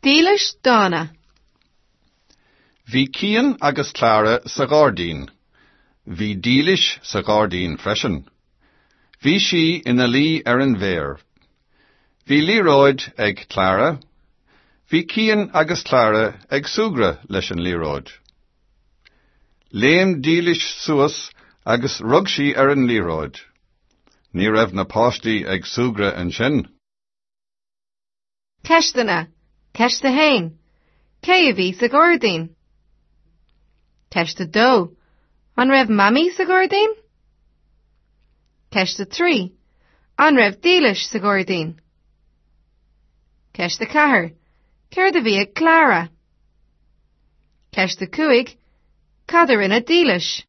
Dílis Dána. Bhí Cian agus Clara sa ghairdín. Bhí Dílis sa ghairdín freisin. Bhí sí ina luí ar an bhféar. Bhí liathróid ag Clara. Bhí Cian agus Clara ag súgradh leis an liathróid. Léim Dílis suas agus rug sí ar an liathróid. Ní raibh na páistí ag súgradh ansin. Ceisteanna. Ceist 1. Cé a bhí sa ghairdín? Ceist 2. An raibh Mamaí sa ghairdín? Ceist 3. An raibh Dílis sa ghairdín? Ceist 4. Céard a bhí ag Clara? Ceist 5. Cad a rinne Dílis?